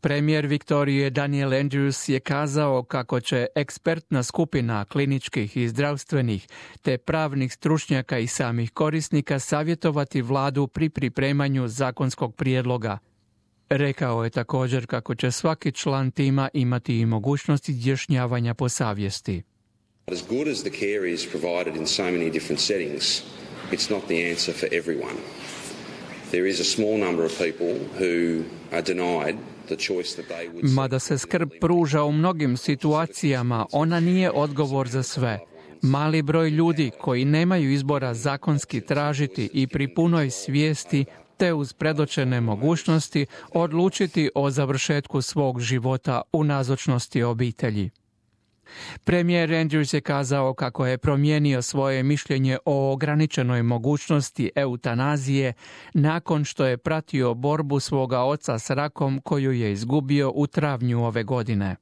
Premijer Viktorije Daniel Andrews je kazao kako će ekspertna skupina kliničkih i zdravstvenih te pravnih stručnjaka i samih korisnika savjetovati vladu pri pripremanju zakonskog prijedloga. Rekao je također kako će svaki član tima imati i mogućnost izjašnjavanja po savjesti. As good as the care is provided in so many different settings, it's not the answer for everyone. There is a small number of people who are denied the choice that they would. Mada se skrb pruža u mnogim situacijama, ona nije odgovor za sve. Mali broj ljudi koji nemaju izbora zakonski tražiti i pri punoj svijesti te uz predočene mogućnosti odlučiti o završetku svog života u nazočnosti obitelji. Premijer Andrews je kazao kako je promijenio svoje mišljenje o ograničenoj mogućnosti eutanazije nakon što je pratio borbu svoga oca s rakom koju je izgubio u travnju ove godine.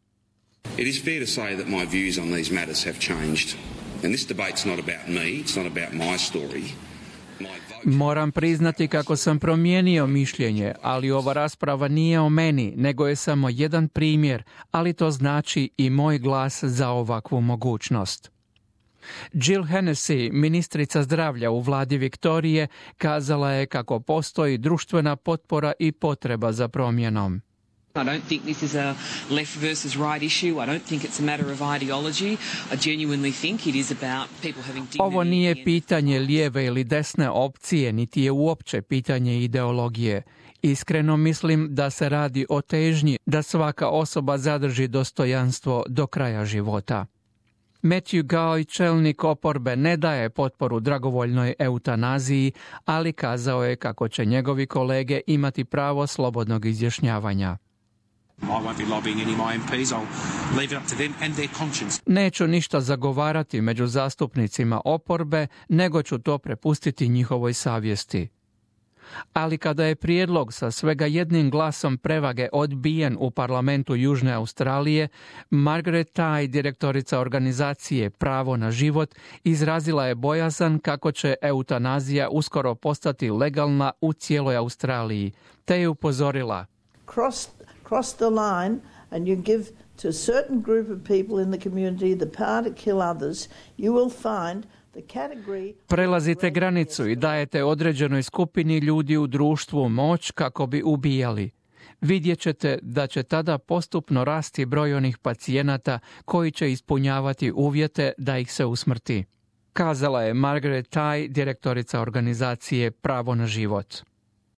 It is fair to say that my views on these matters have changed. And this debate's not about me, it's not about my story. Moram priznati kako sam promijenio mišljenje, ali ova rasprava nije o meni, nego je samo jedan primjer, ali to znači i moj glas za ovakvu mogućnost. Jill Hennessy, ministrica zdravlja u vladi Viktorije, kazala je kako postoji društvena potpora i potreba za promjenom. I don't think this is a left versus right issue. I don't think it's a matter of ideology. I genuinely think it is about people having dignity. Ovo nije pitanje lijeve ili desne opcije, niti je uopće pitanje ideologije. Iskreno mislim da se radi o težnji da svaka osoba zadrži dostojanstvo do kraja života. Matthew Guy, čelnik oporbe, ne daje potporu dragovoljnoj eutanaziji, ali kazao je kako će njegovi kolege imati pravo slobodnog izjašnjavanja. Neću ništa zagovarati među zastupnicima oporbe, nego ću to prepustiti njihovoj savjesti. Ali kada je prijedlog sa svega jednim glasom prevage odbijen u parlamentu Južne Australije, Margaret Tai, direktorica organizacije Pravo na život, izrazila je bojazan kako će eutanazija uskoro postati legalna u cijeloj Australiji, te je upozorila: cross the line and you give to a certain group of people in the community the power to kill others, you will find the category. Prelazite granicu i dajete određenoj skupini ljudi u društvu moć kako bi ubijali. Vidjet ćete da će tada postupno rasti broj onih pacijenata koji će ispunjavati uvjete da ih se usmrti, kazala je Margaret Tai, direktorica organizacije Pravo na život.